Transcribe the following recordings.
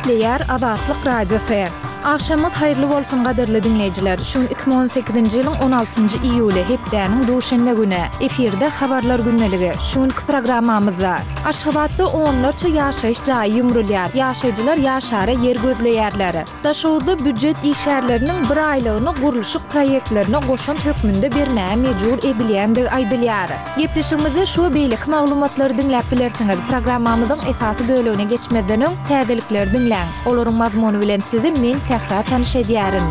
Gepleýär Azatlyk Radiosy. Agşamyňyz haýyrly bolsun gadyrly diňleýjiler. Şu gün 2018-nji ýylyň 16-njy iýuly, hepdäniň duşenbe güni. Efirde Habarlar gündeligi. Şu günki programmamyzda. Aşgabatda onlarça ýaşaýyş jaýy ýumrulýar. Ýaşaýjylar ýaşara ýer gözleýärler. Daşoguzda býujet işgärleriniň bir aýlygyny gurluşyk proýektlerine goşant hökmünde bermäge mejbur edilýändigi aýdylýar. Gepleşigimizde şu we beýleki maglumatlary diňläp bilersiňiz. Programmamyzyň esasy bölegine geçmezden öň, täzelikleri diňläň. Olaryň mazmuny bilen sizi men Sähra tanyş edýärin.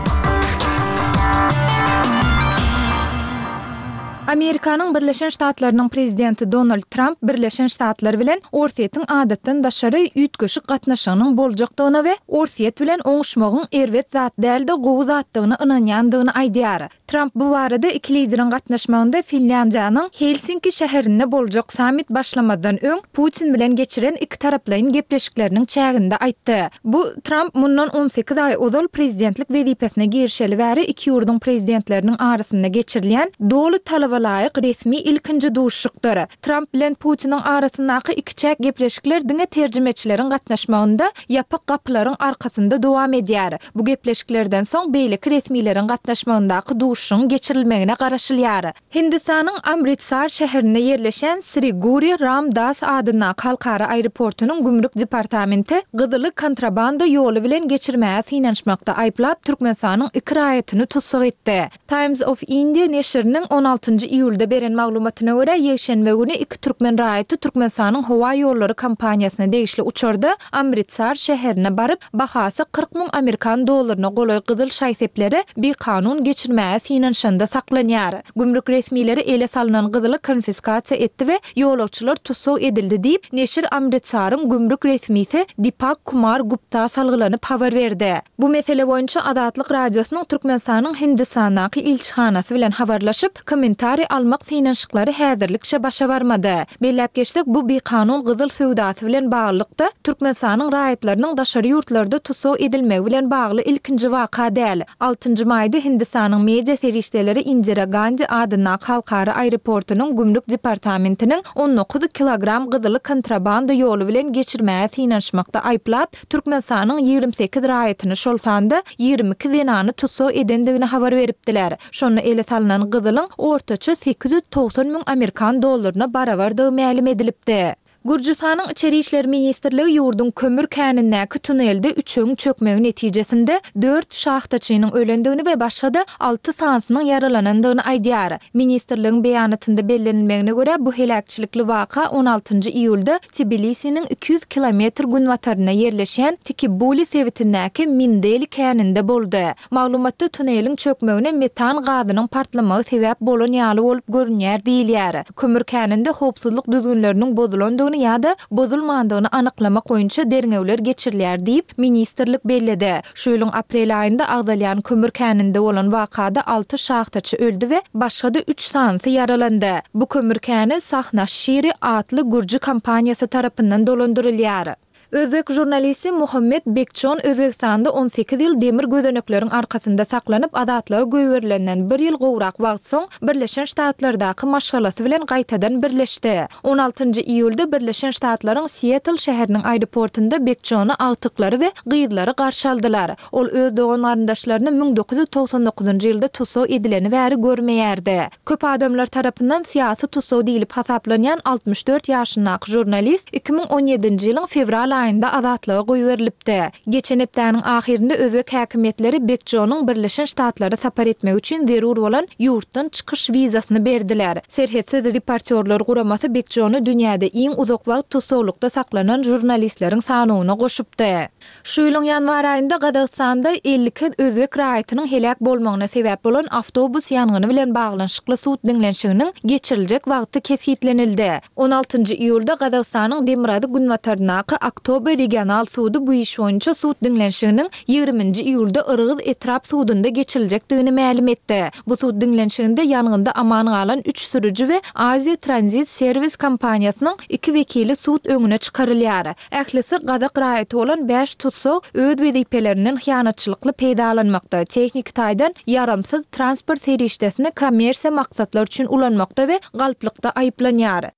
Amerikanyň Birleşen Ştatlarynyň prezidenti Donald Tramp Birleşen Ştatlar bilen Orsýetiň adatdan daşary üýtgeşik gatnaşygynyň boljakdygyna we Orsýet bilen oňuşmagyň erbet zat däl-de gowy zatdygyna ynanýandygyny aýdýar. Tramp bu barada iki lideriň gatnaşmagynda Finlýandiýanyň Helsinki şäherinde boljak sammit başlamazdan öň Putin bilen geçiren ikitaraplaýyn gepleşikleriniň çäginde aýtdy. Bu, Tramp mundan on sekiz aý ozal prezidentlik wezipesine girişeli bäri iki ýurduň prezidentleriniň arasynda geçirilýän doly talaba laýyk resmi ilkinji duşuşykdyr. Tramp bilen Putiniň arasyndaky ikiçäk gepleşikler diňe terjimeçileriň gatnaşmagynda ýapyk gapylaryň arkasynda dowam edýär. Bu gepleşiklerden soň beýleki resmileriň gatnaşmagyndaky duşuşygyň geçirilmegine garaşylýar. Hindistanyň Amritsar şäherinde ýerleşýän Sri Guri Ram Das adyndaky halkara aeroportunyň gümrük departamenti gyzyly kontrabanda ýoly bilen geçirmäge synanyşmakda aýyplap, Türkmenistanyň iki raýatyny tussag etdi. Times of India neşiriniň on altynjy iýulda beren maglumatyna görä, ýekşenbe güni iki türkmen raýaty Türkmenistanyň howa ýollary kompaniýasyna degişli uçarda Amritsar şäherine baryp, bahasy 40 müň amerikan dollaryna golaý gyzyl şaý-sepleri bikanun geçirmäge synanyşanda saklanýar. Gümrük resmileri ele salnan gyzyly konfiskasiýa etdi we ýolagçylar tussag edildi diýip, neşir Amritsaryň gümrük resmisi Dipak Kumar Gupta salgylanyp habar berdi. Bu mesele boýunça Azatlyk Radiosynyň Türkmenistanyň Hindistandaky ilçihanasy bilen habarlaşyp, kommentariý almak synanyşyklary häzirlikçe başa barmady. Belläp geçsek, bu bikanun gyzyl söwdasy bilen baglylykda, Türkmenistanyň raýatlarynyň daşary ýurtlarda tussag edilmegi bilen bagly ilkinji waka däl. Altynjy maýda Hindistanyň media serişdeleri Indira Gandi adyndaky halkara aeroportunyň gümrük departamentiniň 19 kilogram gyzyly kontrabanda ýoly bilen geçirmäge synanyşmakda aýyplap, Türkmenistanyň 28 raýatyny, şol sanda 22 zenany tussag edendigini habar beripdiler. Şonda ele salnan gyzylyň ortaça 890 müň amerikan dollaryna barabardygy mälim edilipdi. Gürjüstanyň Içeri işler ministrligi ýurduň kömür känindäki tunelde üçegiň çökmegi netijesinde dört şahtaçynyň ölendigini we başga-da alty sanysynyň ýaralanandygyny aýdýar. Ministrligiň beýanatynda bellenilmegine görä, bu heläkçilikli waka on altynjy iýulda Tbilisiniň 200 kilometr günbatarynda ýerleşýän Tikibuli sebitindäki Mindeli käninde boldy. Maglumatda tuneliň çökmegine metan gazynyň partlamagy sebäp bolan ýaly bolup görünýär diýilýär. Kömür käninde howpsuzlyk düzgünleriniň bozulandygyny ýa-da bozulmandygyny anyklamak boýunça derňewler geçirilýär diýip, ministrlik belledi. Şu ýylyň aprel aýynda agzalýan kömür käninde bolan wakada alty şahtaçy öldi we başga-da üç sanysy ýaralandy. Bu kömür käni Sahnaşşiri atly gürji kompaniýasy tarapyndan dolandyrylýar. Özbek žurnalisti Muhammet Bekjon Özbegistanda 18 ýyl demir gözenekleriň arkasynda saklanyp, azatlyga goýberilenden bir ýyl gowrak wagt soň Birleşen Ştatlardaky maşgalasy bilen gaýtadan birleşdi. On altynjy iýulda Birleşen Ştatlaryň Sietl şäheriniň aeroportunda Bekjony agtyklary we gyzlary garşy aldylar. Ol öz dogan-garyndaşlaryny 1999-njy ýylda tussag edileni bäri görmeýärdi. Köp adamlar tarapyndan syýasy tussag diýlip hasaplanýan 64 ýaşyndaky žurnalist 2017-nji ýylyň fewral aýynda azatlyga goýberilipdi. Geçen hepdäniň ahyrynda özbek häkimiýetleri Bekjonyň Birleşen Ştatlara sapar etmegi üçin zerur bolan ýurtdan çykyş wizasyny berdiler. Serhetsiz reportýorlar guramasy Bekjony dünýäde iň uzak wagt tussaglykda saklanan žurnalistleriň sanawyna goşupdy. Şu ýylyň ýanwar aýynda Gazagystanda 52 özbek raýatynyň heläk bolmagyna sebäp bolan awtobus ýangyny bilen baglanyşykly sud diňlenişiginiň geçiriljek wagty kesgitlenildi. On altynjy iýulda Gazagystanyň demirgazyk-günbataryndaky Aktobe regional sudy bu iş boýunça sud diňlenişiginiň ýigriminji iýulda Yrgyz etrap sudunda geçiriljekdigini mälim etdi. Bu sud diňlenişiginde ýangynda aman galan üç sürüji we Aziýa Tranzit Serwis kompaniýasynyň iki wekili sud öňüne çykarylýar. Ählisi gazak raýaty bolan bäş tussag öz wezipelerinden hyýanatçylykly peýdalanmakda, tehniki taýdan ýaramsyz transport serişdesini kommersiýa maksatlar üçin ulanmakda we galplykda aýyplanýar.